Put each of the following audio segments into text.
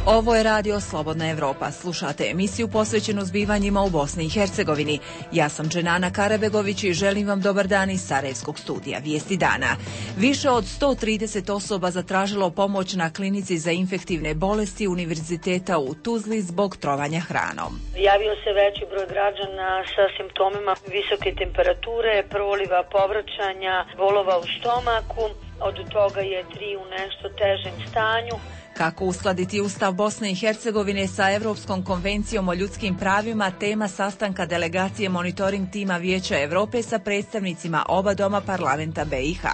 Ovo je radio Slobodna Evropa. Slušate emisiju posvećenu zbivanjima u Bosni i Hercegovini. Ja sam Dženana Karabegović i želim vam dobar dan iz Sarajevskog studija Vijesti dana. Više od 130 osoba zatražilo pomoć na klinici za infektivne bolesti Univerziteta u Tuzli zbog trovanja hranom. Javio se veći broj građana sa simptomima visoke temperature, proliva, povraćanja, bolova u stomaku. Od toga je 3 u nešto težem stanju. Kako uskladiti Ustav Bosne i Hercegovine sa Evropskom konvencijom o ljudskim pravima, tema sastanka delegacije monitoring tima Vijeća Europe sa predstavnicima oba doma parlamenta BiH.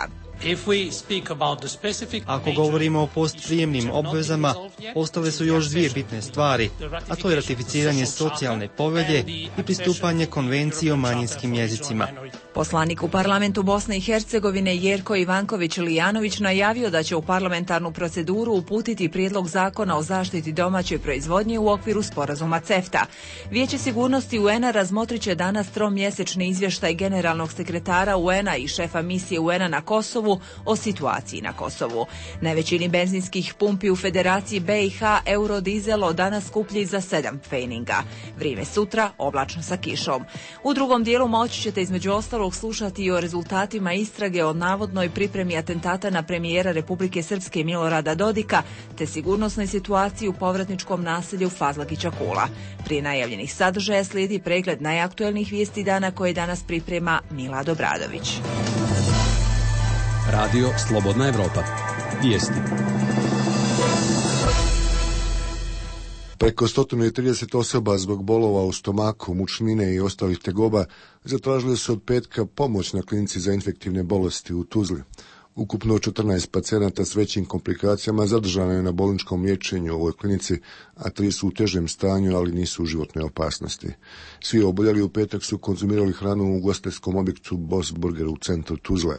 Ako govorimo o postprijemnim obvezama, ostale su još dvije bitne stvari, a to je ratificiranje socijalne povelje i pristupanje konvenciji o manjinskim jezicima. Poslanik u parlamentu Bosne i Hercegovine Jerko Ivanković-Lijanović najavio da će u parlamentarnu proceduru uputiti prijedlog zakona o zaštiti domaće proizvodnje u okviru sporazuma CEFTA. Vijeće sigurnosti UN-a razmotrit će danas tromjesečni izvještaj generalnog sekretara UN-a i šefa misije UN-a na Kosovu o situaciji na Kosovu. Na većini benzinskih pumpi u Federaciji BiH eurodizel od danas skuplji za 7 pfeninga. Vrijeme sutra oblačno sa kišom. U drugom dijelu moći ćete između ostalog slušati i o rezultatima istrage o navodnoj pripremi atentata na premijera Republike Srpske Milorada Dodika te sigurnosnoj situaciji u povratničkom naselju Fazlagića Kula. Prije najavljenih sadržaja slijedi pregled najaktuelnijih vijesti dana koje danas priprema Milad Obradović. Radio Slobodna Evropa. Vijesti. Preko 130 osoba zbog bolova u stomaku, mučnine i ostalih tegoba zatražili su od petka pomoć na klinici za infektivne bolesti u Tuzli. Ukupno 14 pacijenata s većim komplikacijama zadržano je na bolničkom liječenju u ovoj klinici, a 3 su u težem stanju, ali nisu u životnoj opasnosti. Svi oboljeli u petak su konzumirali hranu u ugostiteljskom objektu Boss Burger u centru Tuzle.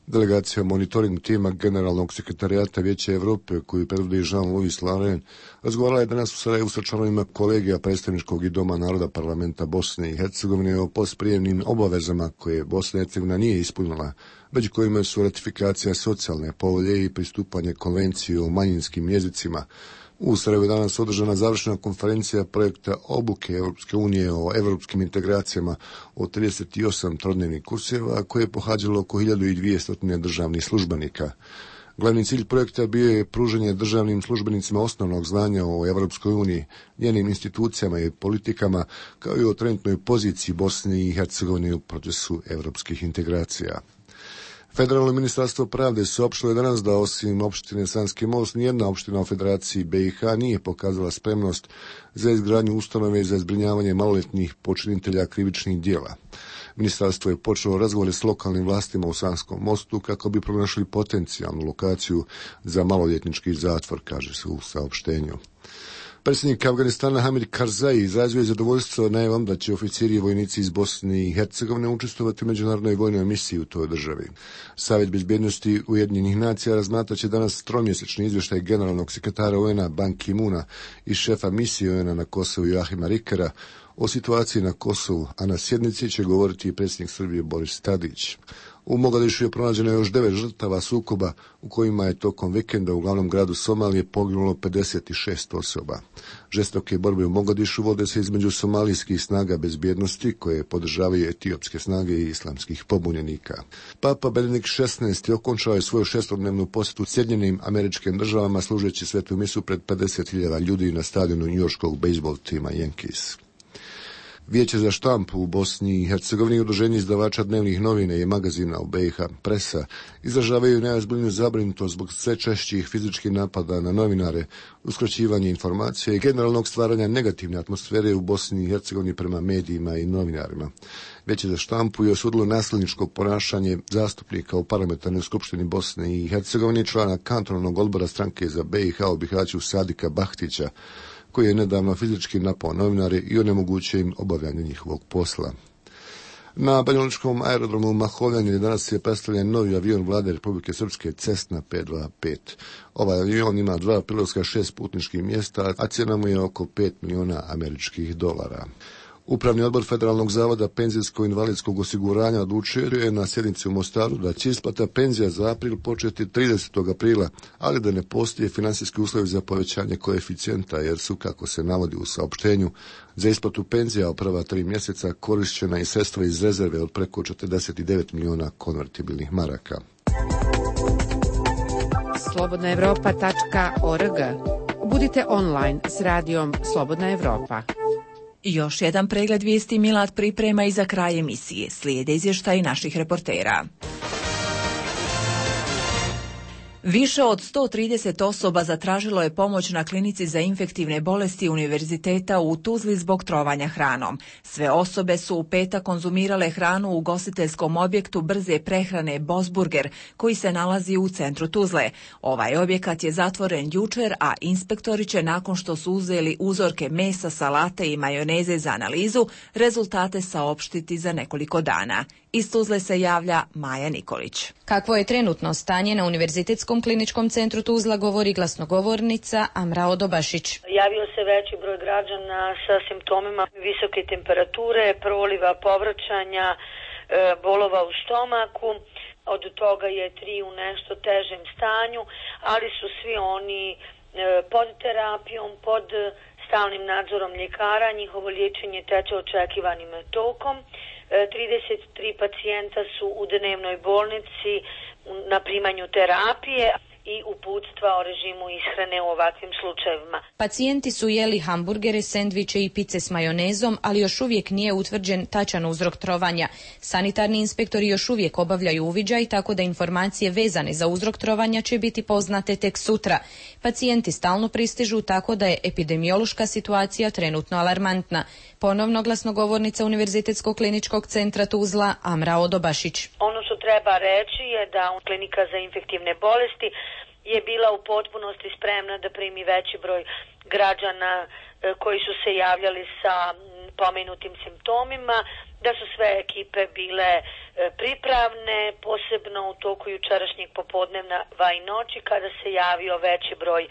Delegacija monitoring tima generalnog sekretarijata Vijeća Europe, koju predvodi Jean-Louis Laurent, razgovarala je danas u Sarajevu sa članovima kolegija predstavničkog i doma naroda parlamenta Bosne i Hercegovine o postprijemnim obavezama koje Bosna i Hercegovina nije ispunila, među kojima su ratifikacija socijalne povelje i pristupanje konvenciji o manjinskim jezicima. U Sarajevu je danas održana završna konferencija projekta obuke Europske unije o evropskim integracijama o 38 trodnevnih kurseva koje je pohađalo oko 1200 državnih službenika. Glavni cilj projekta bio je pružanje državnim službenicima osnovnog znanja o Evropskoj uniji, njenim institucijama i politikama, kao i o trenutnoj poziciji Bosne i Hercegovine u procesu evropskih integracija. Federalno ministarstvo pravde saopštilo je danas da osim opštine Sanski Most, nijedna opština u Federaciji BiH nije pokazala spremnost za izgradnju ustanove za zbrinjavanje maloljetnih počinitelja krivičnih djela. Ministarstvo je počelo razgovore s lokalnim vlastima u Sanskom Mostu kako bi pronašli potencijalnu lokaciju za maloljetnički zatvor, kaže se u saopštenju. Predsjednik Afganistana Hamid Karzai izrazio je zadovoljstvo najavom da će oficiri i vojnici iz Bosne i Hercegovine učestvovati u međunarodnoj vojnoj misiji u toj državi. Savjet bezbjednosti Ujedinjenih nacija razmatrat će danas tromjesečni izvještaj generalnog sekretara UN-a Ban Ki-moona i šefa misije UN-a na Kosovu Joachima Rickera o situaciji na Kosovu, a na sjednici će govoriti i predsjednik Srbije Boris Tadić. U Mogadišu je pronađeno još 9 žrtava sukoba u kojima je tokom vikenda u glavnom gradu Somalije poginulo 56 osoba. Žestoke borbe u Mogadišu vode se između somalijskih snaga bezbjednosti koje podržavaju etiopske snage i islamskih pobunjenika. Papa Benedikt XVI okončao je svoju 6-dnevnu posjetu Sjedinjenim Američkim Državama služeći svetu misu pred 50.000 ljudi na stadionu njujorškog bejzbol tima Yankees. Vijeće za štampu u Bosni i Hercegovini i udruženje izdavača dnevnih novina i magazina u BiH Presa izražavaju najozbiljniju zabrinutost zbog sve češćih fizičkih napada na novinare, uskraćivanje informacija i generalnog stvaranja negativne atmosfere u Bosni i Hercegovini prema medijima i novinarima. Vijeće za štampu je osudilo nasilničko ponašanje zastupnika u parlamentarnoj skupštini Bosne i Hercegovine, člana kantonalnog odbora stranke za BiH u Bihaću Sadika Bahtića, koji je nedavno fizički napao novinare i onemogućio im obavljanje njihovog posla. Na banjalučkom aerodromu Mahovljani danas je predstavljen novi avion vlade Republike Srpske Cessna 525. Ovaj avion ima 2 pilotska 6 putničkih mjesta, a cijena mu je oko $5 miliona. Upravni odbor Federalnog zavoda penzijsko-invalidskog osiguranja odlučio je na sjednici u Mostaru da će isplata penzija za april početi 30. aprila, ali da ne postoje financijski uslovi za povećanje koeficijenta, jer su, kako se navodi u saopštenju, za isplatu penzija u prva 3 mjeseca korišćena i sredstva iz rezerve od preko 49 milijuna konvertibilnih maraka. Slobodnaevropa.org. Budite online s radijom Slobodna Evropa. Još jedan pregled vijesti Milad priprema i za kraj emisije. Slijede izvještaji naših reportera. Više od 130 osoba zatražilo je pomoć na klinici za infektivne bolesti Univerziteta u Tuzli zbog trovanja hranom. Sve osobe su u petak konzumirale hranu u ugostiteljskom objektu brze prehrane Bosburger, koji se nalazi u centru Tuzle. Ovaj objekat je zatvoren jučer, a inspektori će, nakon što su uzeli uzorke mesa, salate i majoneze za analizu, rezultate saopštiti za nekoliko dana. Iz Tuzle se javlja Maja Nikolić. Kakvo je trenutno stanje na Univerzitetskom kliničkom centru Tuzla, govori glasnogovornica Amra Odobašić. Javio se veći broj građana sa simptomima visoke temperature, proliva, povraćanja, bolova u stomaku. Od toga je 3 u nešto težem stanju, ali su svi oni pod terapijom, pod stalnim nadzorom ljekara. Njihovo liječenje teče očekivanim tokom. 33 pacijenta su u dnevnoj bolnici na primanju terapije i uputstva o režimu ishrane u ovakvim slučajevima. Pacijenti su jeli hamburgere, sendviče i pice s majonezom, ali još uvijek nije utvrđen tačan uzrok trovanja. Sanitarni inspektori još uvijek obavljaju uviđaj, tako da informacije vezane za uzrok trovanja će biti poznate tek sutra. Pacijenti stalno pristižu, tako da je epidemiološka situacija trenutno alarmantna. Ponovno glasnogovornica Univerzitetskog kliničkog centra Tuzla Amra Odobašić. Ono što treba reći je da klinika za infektivne bolesti je bila u potpunosti spremna da primi veći broj građana koji su se javljali sa pomenutim simptomima, da su sve ekipe bile pripravne, posebno u toku jučerašnjeg popodneva i noći kada se javio veći broj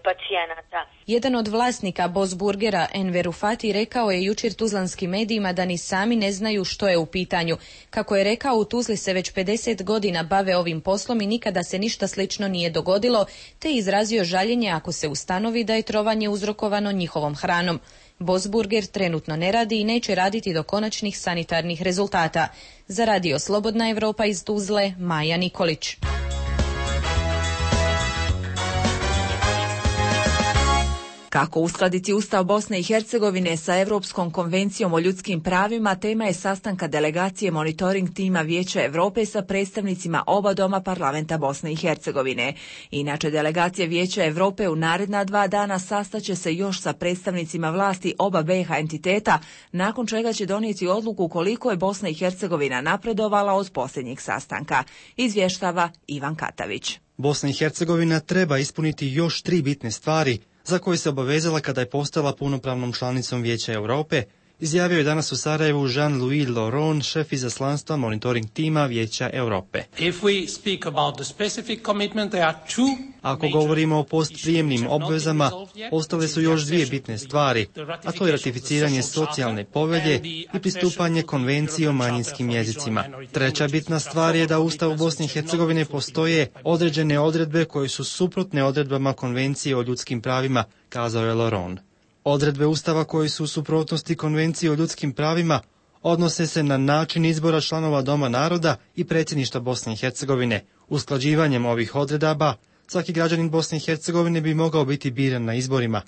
pacijenata. Jedan od vlasnika Bosburgera, Enver Ufati, rekao je jučer tuzlanskim medijima da ni sami ne znaju što je u pitanju. Kako je rekao, u Tuzli se već 50 godina bave ovim poslom i nikada se ništa slično nije dogodilo, te izrazio žaljenje ako se ustanovi da je trovanje uzrokovano njihovom hranom. Bosburger trenutno ne radi i neće raditi do konačnih sanitarnih rezultata. Za radio Slobodna Evropa iz Tuzle, Maja Nikolić. Kako uskladiti Ustav Bosne i Hercegovine sa Europskom konvencijom o ljudskim pravima, tema je sastanka delegacije monitoring tima Vijeća Europe sa predstavnicima oba doma parlamenta Bosne i Hercegovine. Inače, delegacija Vijeća Europe u naredna 2 dana sastaće se još sa predstavnicima vlasti oba BiH entiteta, nakon čega će donijeti odluku koliko je Bosna i Hercegovina napredovala od posljednjeg sastanka. Izvještava Ivan Katavić. Bosna i Hercegovina treba ispuniti još 3 bitne stvari za koje se obavezala kada je postala punopravnom članicom Vijeća Europe, izjavio je danas u Sarajevu Jean-Louis Laurent, šef izaslanstva monitoring tima Vijeća Europe. Ako govorimo o postprijemnim obvezama, ostale su još 2 bitne stvari, a to je ratificiranje socijalne povelje i pristupanje konvenciji o manjinskim jezicima. Treća bitna stvar je da u Ustavu Bosne i Hercegovine postoje određene odredbe koje su suprotne odredbama konvencije o ljudskim pravima, kazao je Laurent. Odredbe Ustava koje su u suprotnosti Konvencije o ljudskim pravima odnose se na način izbora članova Doma naroda i predsjedništva Bosne i Hercegovine. Usklađivanjem ovih odredaba, svaki građanin Bosne i Hercegovine bi mogao biti biran na izborima.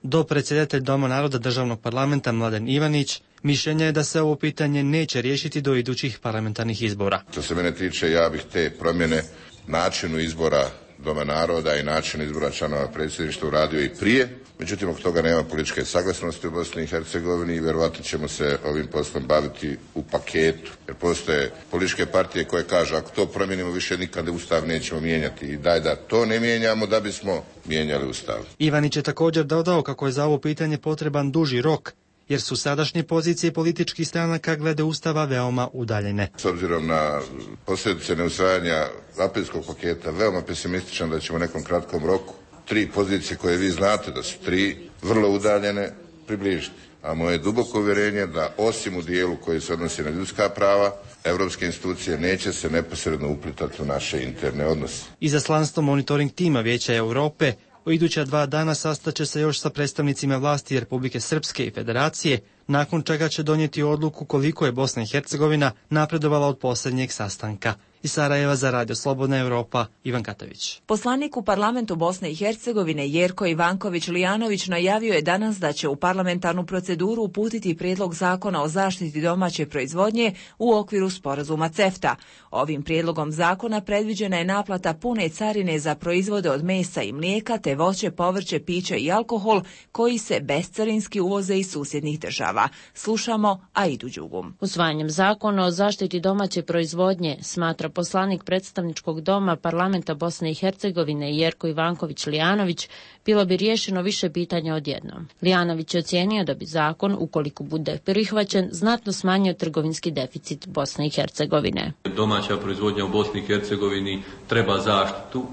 Dopredsjedatelj Doma naroda državnog parlamenta Mladen Ivanić mišljenja je da se ovo pitanje neće riješiti do idućih parlamentarnih izbora. Što se mene tiče, ja bih te promjene načinu izbora Doma naroda i načinu izbora članova predsjedništva uradio i prije. Međutim, od toga nema političke saglasnosti u Bosni i Hercegovini i vjerovatno ćemo se ovim poslom baviti u paketu. Jer postoje političke partije koje kažu ako to promijenimo više nikada Ustav nećemo mijenjati i daj da to ne mijenjamo da bismo mijenjali Ustav. Ivanić je također dodao kako je za ovo pitanje potreban duži rok, jer su sadašnje pozicije političkih stranaka glede Ustava veoma udaljene. S obzirom na posljedice neusvajanja aprilskog paketa, veoma pesimističan da ćemo u nekom kratkom roku 3 pozicije koje vi znate da su 3 vrlo udaljene, približiti. A moje duboko uvjerenje da osim u dijelu koji se odnosi na ljudska prava, europske institucije neće se neposredno uplitati u naše interne odnose. Izaslanstvo monitoring tima Vijeća Europe u iduća 2 dana sastaće se još sa predstavnicima vlasti Republike Srpske i Federacije, nakon čega će donijeti odluku koliko je Bosna i Hercegovina napredovala od posljednjeg sastanka. Iz Sarajeva za Radio Slobodna Europa, Ivan Katavić. Poslanik u parlamentu Bosne i Hercegovine Jerko Ivanković-Lijanović najavio je danas da će u parlamentarnu proceduru uputiti prijedlog zakona o zaštiti domaće proizvodnje u okviru sporazuma CEFTA. Ovim prijedlogom zakona predviđena je naplata pune carine za proizvode od mesa i mlijeka te voće, povrće, piće i alkohol koji se bescarinski uvoze iz susjednih država. Slušamo Aidu Đugum. Usvajanjem zakona o zaštiti domaće proizvodnje, smatra poslanik predstavničkog doma parlamenta Bosne i Hercegovine Jerko Ivanković-Lijanović, bilo bi riješeno više pitanja odjednom. Lijanović je ocijenio da bi zakon, ukoliko bude prihvaćen, znatno smanjio trgovinski deficit Bosne i Hercegovine. Domaća proizvodnja u Bosni i Hercegovini treba zaštitu.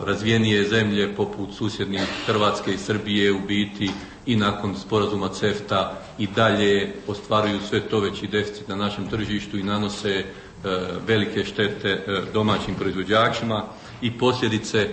Razvijenije zemlje poput susjednih Hrvatske i Srbije u biti i nakon sporazuma CEFTA i dalje ostvaruju sve to veći deficit na našem tržištu i nanose velike štete domaćim proizvođačima i posljedice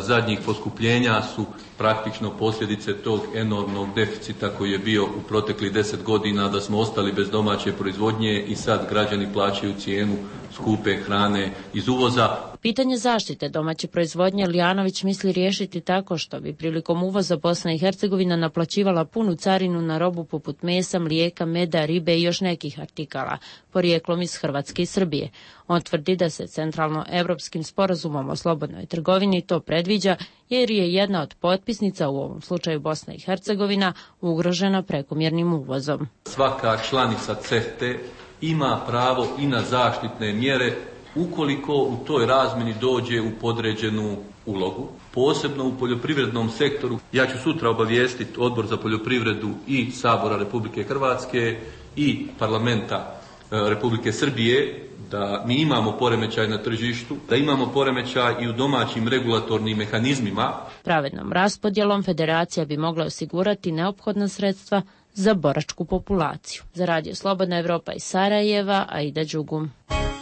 zadnjih poskupljenja su praktično posljedice tog enormnog deficita koji je bio u proteklih 10 godina, da smo ostali bez domaće proizvodnje i sad građani plaćaju cijenu skupe hrane iz uvoza. Pitanje zaštite domaće proizvodnje Lijanović misli riješiti tako što bi prilikom uvoza Bosna i Hercegovina naplaćivala punu carinu na robu poput mesa, mlijeka, meda, ribe i još nekih artikala, porijeklom iz Hrvatske i Srbije. On tvrdi da se centralno-europskim sporazumom o slobodnoj trgovini to predviđa jer je jedna od potpisnica, u ovom slučaju Bosna i Hercegovina, ugrožena prekomjernim uvozom. Svaka članica CEFTA ima pravo i na zaštitne mjere ukoliko u toj razmjeni dođe u podređenu ulogu, posebno u poljoprivrednom sektoru. Ja ću sutra obavijestiti Odbor za poljoprivredu i Sabora Republike Hrvatske i Parlamenta Republike Srbije da mi imamo poremećaj na tržištu, da imamo poremećaj i u domaćim regulatornim mehanizmima. Pravednom raspodjelom federacija bi mogla osigurati neophodna sredstva za boračku populaciju. Za Radio Slobodna Evropa iz Sarajeva, Aida Đugum.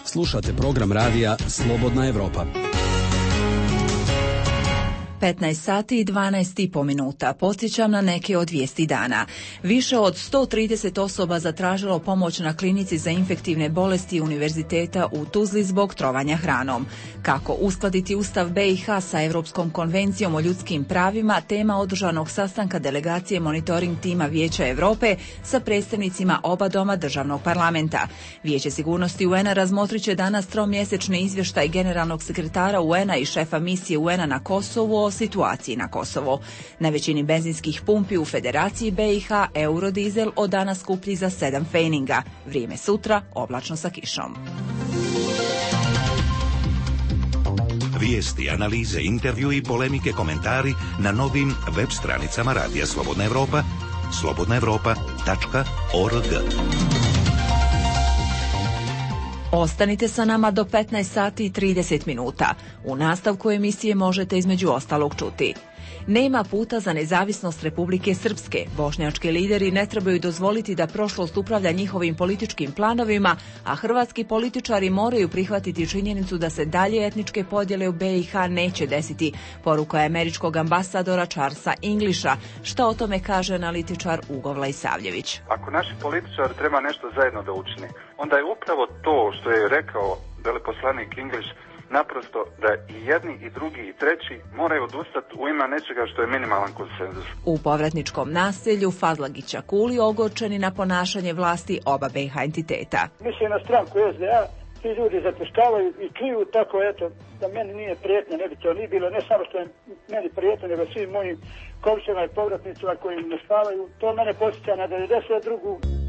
Slušate program radija Slobodna Evropa. 15 sati i 12,5 minuta. Podsjećam na neke od vijesti dana. Više od 130 osoba zatražilo pomoć na klinici za infektivne bolesti Univerziteta u Tuzli zbog trovanja hranom. Kako uskladiti Ustav BiH sa Europskom konvencijom o ljudskim pravima, tema održanog sastanka delegacije monitoring tima Vijeća Europe sa predstavnicima oba doma državnog parlamenta. Vijeće sigurnosti UN-a razmotrit će danas tromjesečni izvještaj generalnog sekretara UN-a i šefa misije UN-a na Kosovu o situaciji na Kosovo. Na većini benzinskih pumpi u Federaciji BiH eurodizel od danas skuplji za 7 fejninga. Vrijeme sutra oblačno sa kišom. Vijesti, analize, intervju i polemike, komentari na novim web stranicama Radija Slobodna Evropa, slobodnaevropa.org. Ostanite sa nama do 15 sati i 30 minuta. U nastavku emisije možete između ostalog čuti. Nema puta za nezavisnost Republike Srpske. Bošnjački lideri ne trebaju dozvoliti da prošlost upravlja njihovim političkim planovima, a hrvatski političari moraju prihvatiti činjenicu da se dalje etničke podjele u BiH neće desiti, poruka je američkog ambasadora Charlesa Englisha. Šta o tome kaže analitičar Ugo Vlajsavljević? Ako naši političari treba nešto zajedno da učine, onda je upravo to što je rekao veleposlanik English, naprosto da i jedni i drugi i treći moraju odustati u ime nečega što je minimalan konsenzus. U povratničkom naselju Fazlagića Kuli ogorčeni na ponašanje vlasti oba BiH entiteta. Mislim na stranku SDA, ti ljudi zapuštavaju i čuju tako, eto, da meni nije prijetno, ne bi to ni bilo, ne samo što je meni prijetno, nego svim mojim komšima i povratnicima koji ne spavaju. To mene posjeća na 92.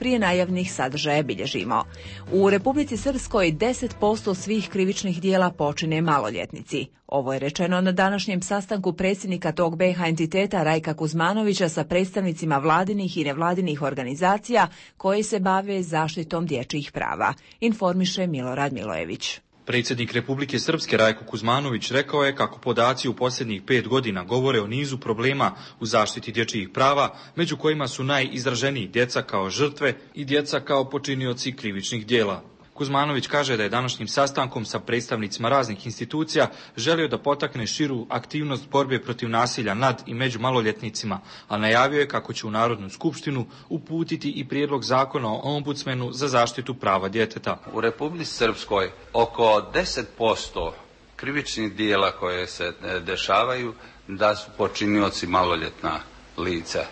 Prije najavnih sadržaja bilježimo. U Republici Srpskoj 10% svih krivičnih dijela počine maloljetnici. Ovo je rečeno na današnjem sastanku predsjednika tog BiH entiteta Rajka Kuzmanovića sa predstavnicima vladinih i nevladinih organizacija koje se bave zaštitom dječjih prava, informiše Milorad Milojević. Predsjednik Republike Srpske Rajko Kuzmanović rekao je kako podaci u posljednjih 5 godina govore o nizu problema u zaštiti dječjih prava, među kojima su najizraženiji djeca kao žrtve i djeca kao počinioci krivičnih djela. Kuzmanović kaže da je današnjim sastankom sa predstavnicima raznih institucija želio da potakne širu aktivnost borbe protiv nasilja nad i među maloljetnicima, a najavio je kako će u Narodnu skupštinu uputiti i prijedlog zakona o ombudsmenu za zaštitu prava djeteta. U Republici Srpskoj oko 10% krivičnih djela koje se dešavaju da su počinioci maloljetna lica.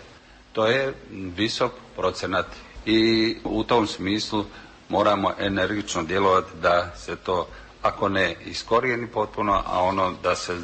To je visok procenat i u tom smislu moramo energično djelovati da se to, ako ne iskorijeni potpuno, a ono da se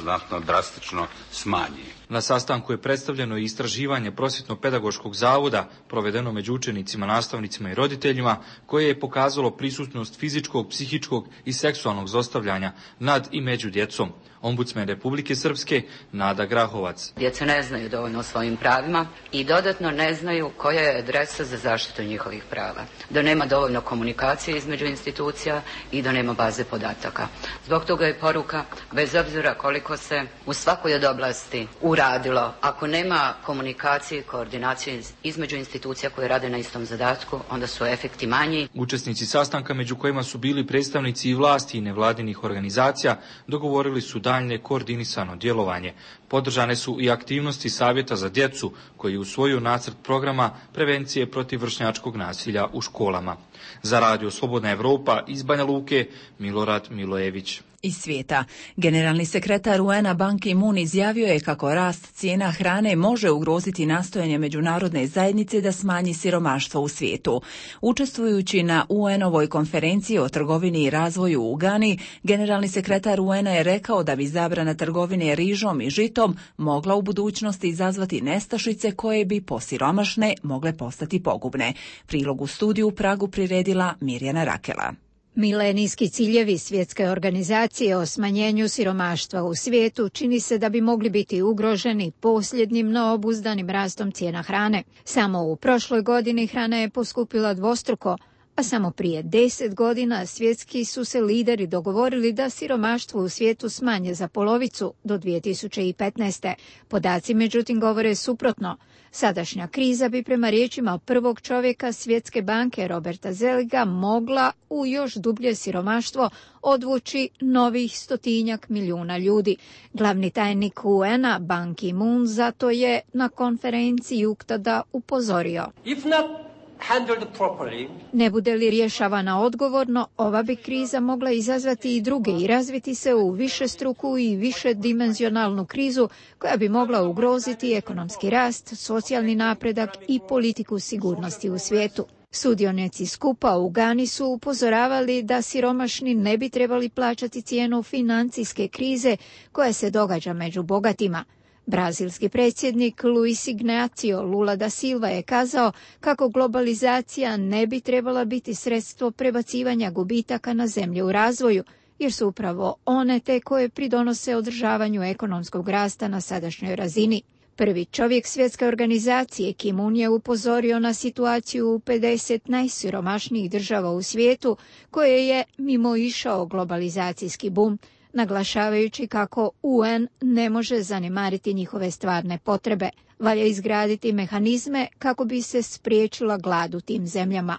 znatno drastično smanji. Na sastanku je predstavljeno i istraživanje Prosvjetno-pedagoškog zavoda provedeno među učenicima, nastavnicima i roditeljima, koje je pokazalo prisutnost fizičkog, psihičkog i seksualnog zlostavljanja nad i među djecom. Ombudsman Republike Srpske Nada Grahovac. Djeca ne znaju dovoljno o svojim pravima i dodatno ne znaju koja je adresa za zaštitu njihovih prava. Da nema dovoljno komunikacije između institucija i da nema baze podataka. Zbog toga je poruka, bez obzira koliko se u svakoj od oblasti uradilo, ako nema komunikacije i koordinacije između institucija koje rade na istom zadatku, onda su efekti manji. Učesnici sastanka, među kojima su bili predstavnici i vlasti i nevladinih organizacija, dogovorili su daljnje koordinisano djelovanje. Podržane su i aktivnosti Savjeta za djecu, koji usvojio nacrt programa prevencije protiv vršnjačkog nasilja u školama. Za Radio Slobodna Evropa iz Banja Luke, Milorad Milojević. Iz svijeta. Generalni sekretar UN-a Ban Ki-moon izjavio je kako rast cijena hrane može ugroziti nastojanje međunarodne zajednice da smanji siromaštvo u svijetu. Učestvujući na UN-ovoj konferenciji o trgovini i razvoju u Gani, generalni sekretar UN-a je rekao da bi zabrana trgovine rižom i žitom mogla u budućnosti izazvati nestašice koje bi po siromašne mogle postati pogubne. Prilog u studiju u Pragu priredila Mirjana Rakela. Milenijski ciljevi Svjetske organizacije o smanjenju siromaštva u svijetu čini se da bi mogli biti ugroženi posljednjim neobuzdanim rastom cijena hrane. Samo u prošloj godini hrana je poskupila dvostruko, a samo prije 10 godina svjetski su se lideri dogovorili da siromaštvo u svijetu smanje za polovicu do 2015. Podaci međutim govore suprotno. Sadašnja kriza bi prema riječima prvog čovjeka Svjetske banke Roberta Zeliga mogla u još dublje siromaštvo odvući novih 100 milijuna ljudi. Glavni tajnik UN-a Ban Ki-moon zato je na konferenciji UNCTAD-a upozorio. Ne bude li rješavana odgovorno, ova bi kriza mogla izazvati i druge i razviti se u višestruku i višedimenzionalnu krizu koja bi mogla ugroziti ekonomski rast, socijalni napredak i politiku sigurnosti u svijetu. Sudionici skupa u Gani su upozoravali da siromašni ne bi trebali plaćati cijenu financijske krize koja se događa među bogatima. Brazilski predsjednik Luis Ignacio Lula da Silva je kazao kako globalizacija ne bi trebala biti sredstvo prebacivanja gubitaka na zemlje u razvoju, jer su upravo one te koje pridonose održavanju ekonomskog rasta na sadašnjoj razini. Prvi čovjek Svjetske organizacije Ki-moon je upozorio na situaciju u 50 najsiromašnijih država u svijetu koje je mimoišao globalizacijski bum, naglašavajući kako UN ne može zanemariti njihove stvarne potrebe. Valja izgraditi mehanizme kako bi se spriječila glad u tim zemljama.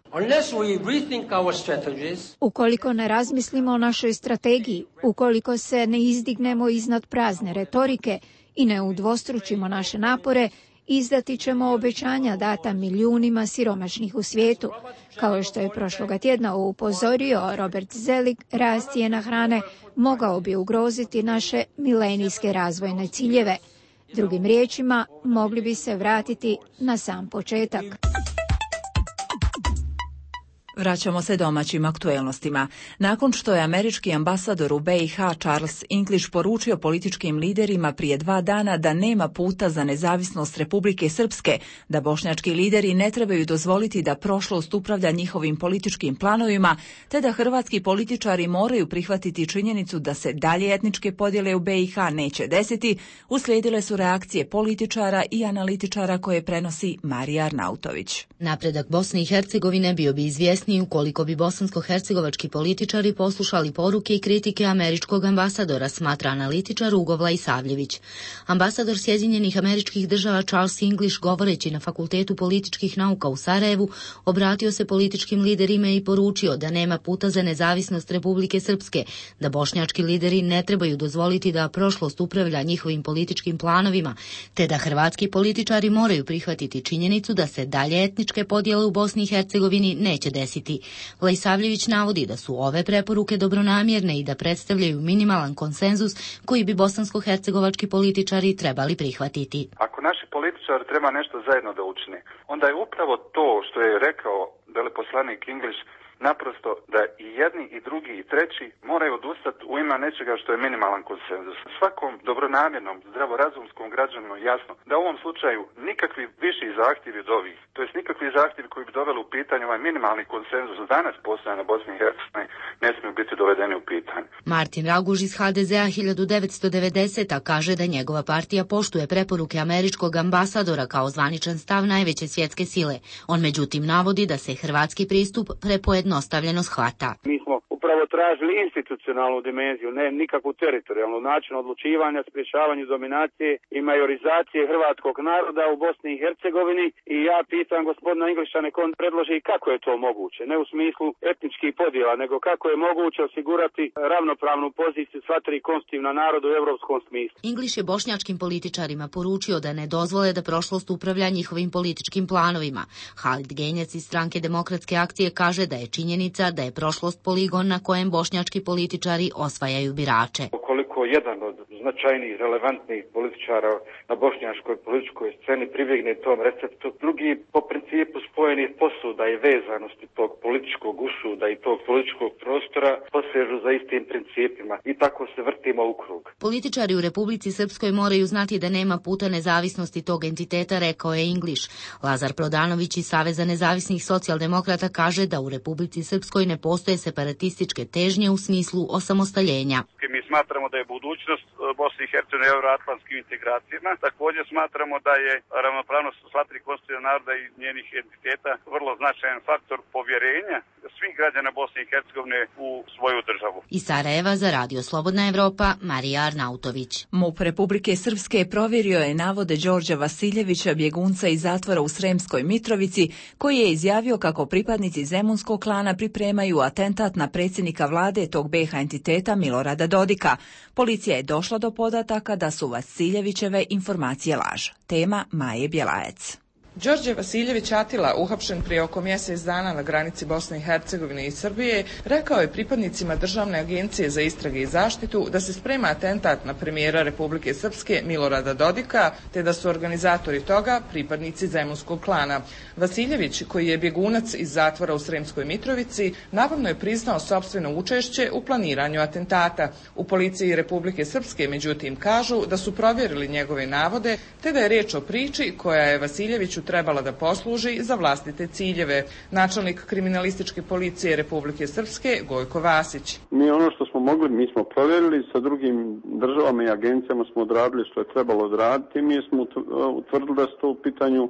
Ukoliko ne razmislimo o našoj strategiji, ukoliko se ne izdignemo iznad prazne retorike i ne udvostručimo naše napore, izdati ćemo obećanja data milijunima siromašnih u svijetu. Kao što je prošloga tjedna upozorio Robert Zelig, rast cijena hrane mogao bi ugroziti naše milenijske razvojne ciljeve. Drugim riječima, mogli bi se vratiti na sam početak. Vraćamo se domaćim aktuelnostima. Nakon što je američki ambasador u BiH Charles English poručio političkim liderima prije 2 dana da nema puta za nezavisnost Republike Srpske, da bošnjački lideri ne trebaju dozvoliti da prošlost upravlja njihovim političkim planovima, te da hrvatski političari moraju prihvatiti činjenicu da se dalje etničke podjele u BiH neće desiti, uslijedile su reakcije političara i analitičara koje prenosi Marija Arnautović. Napredak Bosne i Hercegovine bio bi izvjestan izvjesni ukoliko bi bosansko-hercegovački političari poslušali poruke i kritike američkog ambasadora, smatra analitičar Ugo Vlaisavljević. Ambasador Sjedinjenih Američkih Država Charles English, govoreći na Fakultetu političkih nauka u Sarajevu, obratio se političkim liderima i poručio da nema puta za nezavisnost Republike Srpske, da bošnjački lideri ne trebaju dozvoliti da prošlost upravlja njihovim političkim planovima, te da hrvatski političari moraju prihvatiti činjenicu da se dalje etničke podjele u Bosni i Hercegovini neće desiti. Vlaisavljević navodi da su ove preporuke dobronamjerne i da predstavljaju minimalan konsenzus koji bi bosansko-hercegovački političari trebali prihvatiti. Ako naši političari treba nešto zajedno da učine, onda je upravo to što je rekao veleposlanik English, naprosto da i jedni i drugi i treći moraju odustati u ime nečega što je minimalan konsenzus. Svakom dobronamjernom, zdravorazumskom građaninu jasno da u ovom slučaju nikakvi viši zahtjevi od ovih, to jest nikakvi zahtjevi koji bi doveli u pitanje ovaj minimalni konsenzus danas postoje na Bosni i Hercegovini, ne smiju biti dovedeni u pitanje. Martin Raguž iz HDZ-a 1990. kaže da njegova partija poštuje preporuke američkog ambasadora kao zvaničan stav najveće svjetske sile. On međutim navodi da se hrvatski pristup prepojednostavljeno shvata. Mi smo upravo tražili institucionalnu dimenziju, ne nikakvu teritorijalnu način odlučivanja, sprječavanju dominacije i majorizacije hrvatskog naroda u Bosni i Hercegovini i ja pitam gospodina Engliša nek on predloži kako je to moguće, ne u smislu etničkih podjela, nego kako je moguće osigurati ravnopravnu poziciju sva tri konstitutivna naroda u europskom smislu. English je bošnjačkim političarima poručio da ne dozvole da prošlost upravlja njihovim političkim planovima. Halid Genjac iz Stranke demokratske akcije kaže da je činjenica da je prošlost poligon na kojem bošnjački političari osvajaju birače. Koliko jedan od značajnijih, relevantnih političara na bošnjačkoj političkoj sceni pribjegne tom receptu, drugi po principu spojenih posuda i vezanosti tog političkog usuda i tog političkog prostora posežu za istim principima i tako se vrtimo u krug. Političari u Republici Srpskoj moraju znati da nema puta nezavisnosti tog entiteta, rekao je English. Lazar Prodanović iz Saveza nezavisnih socijaldemokrata kaže da u Republici Srpskoj ne postoje separatističke težnje u smislu osamostaljenja. Mi smatramo da je budućnost Bosne i Hercegovine u euroatlantskim integracijama. Također smatramo da je ravnopravnost sva tri konstitutivna naroda i njenih entiteta vrlo značajan faktor povjerenja svih građana Bosne i Hercegovine u svoju državu. Iz Sarajeva za Radio Slobodna Evropa, Marija Arnautović. MUP Republike Srpske provjerio je navode Đorđa Vasiljevića, bjegunca iz zatvora u Sremskoj Mitrovici, koji je izjavio kako pripadnici Zemunskog klana pripremaju atentat na predsjednika vlade tog BiH entiteta Milorada Dodika. Policija je došla do podataka da su Vasiljevićeve informacije laž. Tema Maje Bjelajec. Đorđe Vasiljević Atila, uhapšen prije oko mjesec dana na granici Bosne i Hercegovine i Srbije, rekao je pripadnicima Državne agencije za istrage i zaštitu da se sprema atentat na premijera Republike Srpske Milorada Dodika, te da su organizatori toga pripadnici Zemunskog klana. Vasiljević, koji je bjegunac iz zatvora u Sremskoj Mitrovici, navodno je priznao sopstveno učešće u planiranju atentata. U policiji Republike Srpske, međutim, kažu da su provjerili njegove navode, te da je riječ o priči koja je Vasiljeviću trebala da posluži za vlastite ciljeve. Načelnik kriminalističke policije Republike Srpske Gojko Vasić. Mi ono što smo mogli, mi smo provjerili, sa drugim državama i agencijama smo odradili što je trebalo odraditi i mi smo utvrdili da su to u pitanju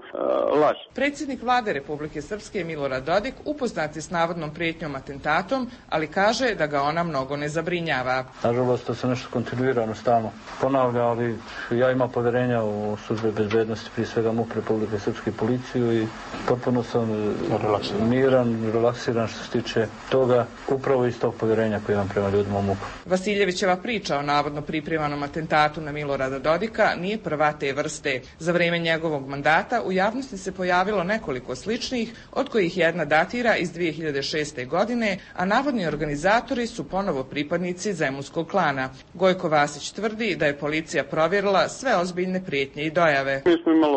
laž. Predsjednik vlade Republike Srpske Milorad Dodik upoznat je s navodnom prijetnjom atentatom, ali kaže da ga ona mnogo ne zabrinjava. Nažalost, to se nešto kontinuirano stalno ponavlja, ali ja imam povjerenja u službe bezbednosti, prije svega MUP Republike Srpske policiju i potpuno sam miran, relaksiran što se tiče toga, upravo iz tog povjerenja koje imam prema ljudima u MUP-u. Vasiljevićeva priča o navodno pripremanom atentatu na Milorada Dodika nije prva te vrste. Za vrijeme njegovog mandata u javnosti se pojavilo nekoliko sličnih, od kojih jedna datira iz 2006. godine, a navodni organizatori su ponovo pripadnici Zemunskog klana. Gojko Vasić tvrdi da je policija provjerila sve ozbiljne prijetnje i dojave. Mi smo imali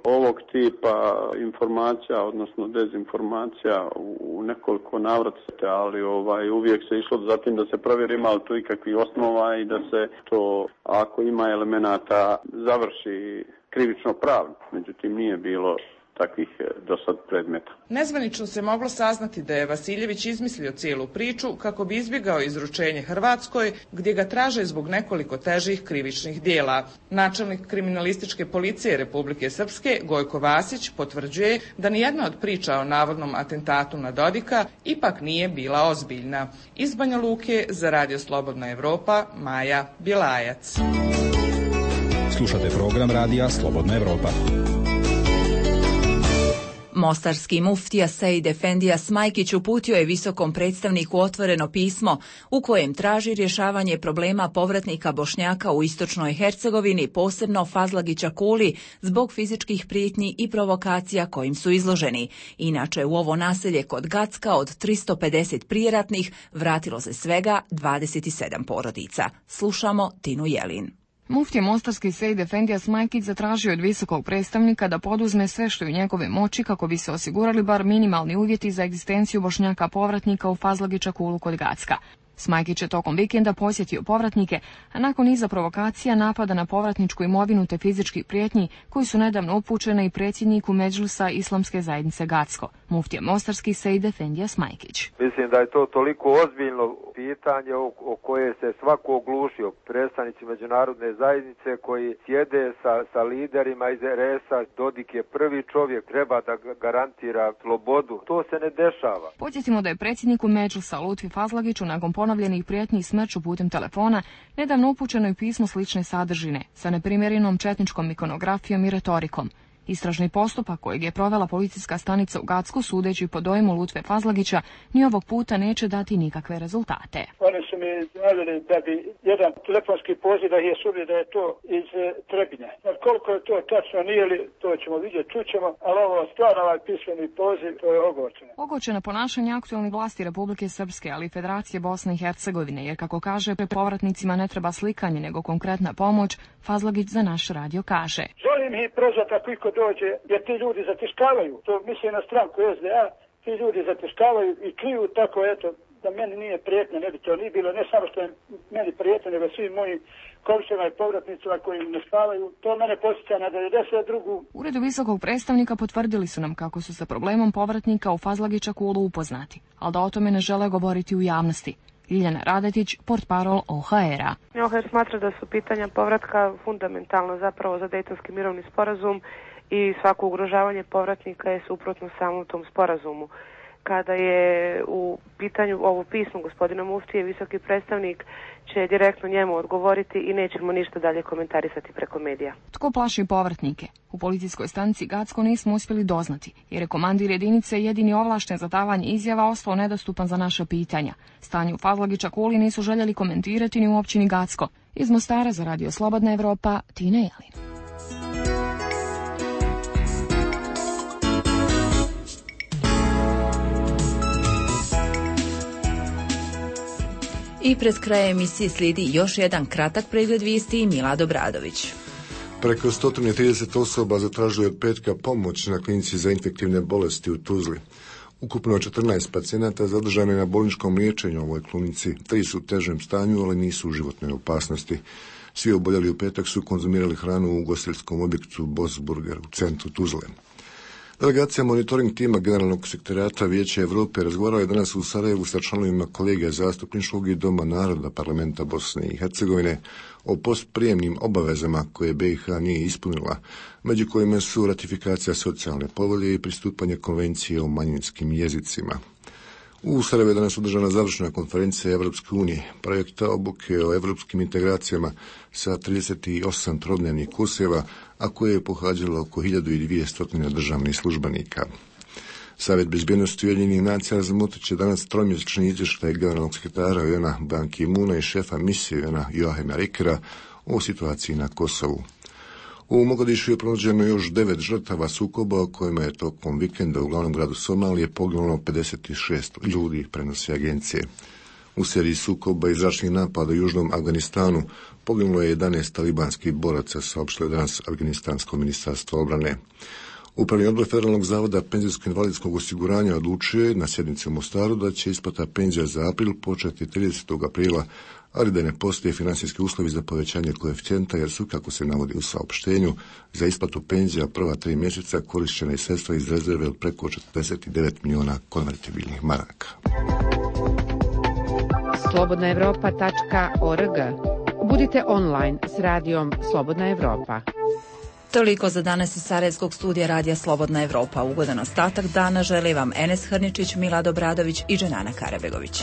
ovog tipa informacija, odnosno dezinformacija u nekoliko navrata, ali uvijek se išlo za tim da se provjeri ima li tu ikakvih osnova i da se to, ako ima elemenata, završi krivično pravno. Međutim, nije bilo takvih do sad predmeta. Nezvanično se moglo saznati da je Vasiljević izmislio cijelu priču kako bi izbjegao izručenje Hrvatskoj, gdje ga traže zbog nekoliko težih krivičnih dijela. Načelnik kriminalističke policije Republike Srpske Gojko Vasić potvrđuje da nijedna od priča o navodnom atentatu na Dodika ipak nije bila ozbiljna. Iz Banja Luke za Radio Slobodna Evropa, Maja Bjelajac. Slušate program Radija Slobodna Evropa. Mostarski muftija Sejd Efendija Smajkić uputio je visokom predstavniku otvoreno pismo u kojem traži rješavanje problema povratnika Bošnjaka u istočnoj Hercegovini, posebno Fazlagića Kuli, zbog fizičkih prijetnji i provokacija kojim su izloženi. Inače, u ovo naselje kod Gacka od 350 prijeratnih vratilo se svega 27 porodica. Slušamo Tinu Jelin. Muftija mostarski Sejd Efendija Smajkić zatražio od visokog predstavnika da poduzme sve što je u njegove moći kako bi se osigurali bar minimalni uvjeti za egzistenciju Bošnjaka povratnika u Fazlagića Kulu kod Gacka. Smajkić je tokom vikenda posjetio povratnike, a nakon niza provokacija, napada na povratničku imovinu te fizičkih prijetnji koji su nedavno upućene i predsjedniku Medžlisa Islamske zajednice Gacko, muftija mostarski Sejd Efendija Smajkić. Mislim da je to toliko ozbiljno pitanje o koje se svako oglušio, predstavnici međunarodne zajednice koji sjede sa liderima iz RS-a. Dodik je prvi čovjek, treba da garantira slobodu. To se ne dešava. Podsjetimo da je predsjedniku Medžlisa Lutfi Fazlagiću nakon ponovljenih prijetnji i smrću putem telefona nedavno upućeno i pismo slične sadržine sa neprimjerenom četničkom ikonografijom i retorikom. Istražni postupak kojeg je provela policijska stanica u Gacku, sudeći po dojmu Lutve Fazlagića, ni ovog puta neće dati nikakve rezultate. Oni su mi naveli da bi jedan telefonski poziv da je sumnje da je to iz Trebinja. Koliko je to tačno, nije li, to ćemo vidjeti, čućemo, ali ovo stvarno ovaj pismeni poziv, to je ogorčeno. Ogorčeno ponašanje aktualnih vlasti Republike Srpske, ali i Federacije Bosne i Hercegovine, jer kako kaže, povratnicima ne treba slikanje, nego konkretna pomoć, Fazlagić za naš radio kaže. Želim ih prozvati ako iko dođe, jer ti ljudi zatiškavaju, to misli na stranku SDA, ti ljudi zatiškavaju i kliju tako, eto, da meni nije prijetno, ne bi to ni bilo, ne samo što je meni prijetno, nego svim mojim komšijama i povratnicima koji ne spavaju, to mene posjeća na 92. U Uredu visokog predstavnika potvrdili su nam kako su sa problemom povratnika u Fazlagića Kulu upoznati, ali da o tome ne žele govoriti u javnosti. Ljiljana Radetić, portparol OHR-a. OHR smatra da su pitanja povratka fundamentalno zapravo za Dejtonski mirovni sporazum i svako ugrožavanje povratnika je suprotno samom tom sporazumu. Kada je u pitanju ovo pismo gospodina muftije, visoki predstavnik će direktno njemu odgovoriti i nećemo ništa dalje komentarisati preko medija. Tko plaši povratnike? U policijskoj stanici Gacko nismo uspjeli doznati, jer je komandir jedinice jedini ovlašten za davanje izjava ostao nedostupan za naša pitanja. Stanje u Fazlagića Kuli nisu željeli komentirati ni u općini Gacko. Iz Mostara za Radio Slobodna Evropa, Tina Jelin. I pred krajem emisije slijedi još jedan kratak pregled vijesti i Milad Obradović. Preko 130 osoba zatražuje od petka pomoć na klinici za infektivne bolesti u Tuzli. Ukupno 14 pacijenata zadržano je na bolničkom liječenju u ovoj klinici. 3 su u težem stanju, ali nisu u životnoj opasnosti. Svi oboljeli u petak su konzumirali hranu u ugostiteljskom objektu Boss Burger u centru Tuzle. Delegacija monitoring tima Generalnog sekretariata Vijeća Europe razgovarala je danas u Sarajevu sa članovima kolegija zastupničkog i Doma naroda Parlamenta Bosne i Hercegovine o postprijemnim obavezama koje BiH nije ispunila, među kojima su ratifikacija socijalne povelje i pristupanje konvencije o manjinskim jezicima. U Sarajevu je danas održana završna konferencija Evropske unije, projekta obuke o evropskim integracijama sa 38 trodnevnih kurseva, a koje je pohađalo oko 1200 državnih službenika. Savjet bezbjednosti Ujedinjenih nacija razmotrit će danas tromjesečni izvještaj generalnog sekretara UN-a Ban Ki-moona i šefa misije UN-a Joachima Rickera o situaciji na Kosovu. U Mogadišu je pronađeno još 9 žrtava sukoba o kojima je tokom vikenda u glavnom gradu Somalije poginulo 56 ljudi, prenosi agencije. U seriji sukoba i zračnih napada u južnom Afganistanu poginulo je 11 talibanskih boraca, saopštilo je danas Afganistansko ministarstvo obrane. Upravni odbor Federalnog zavoda penzijsko-invalidskog osiguranja odlučio je na sjednici u Mostaru da će isplata penzija za april početi 30. aprila, ali da ne postoje financijski uslovi za povećanje koeficijenta jer su, kako se navodi u saopštenju, za isplatu penzija prva 3 mjeseca korišćena i sredstva iz rezerve od preko 49 milijuna konvertibilnih maraka. slobodnaevropa.org. Budite online s radijom Slobodna Evropa. Toliko za danas iz Sarajevskog studija Radija Slobodna Evropa. Ugodan ostatak dana želi vam Enes Hrničić, Milad Obradović i Dženana Karabegović.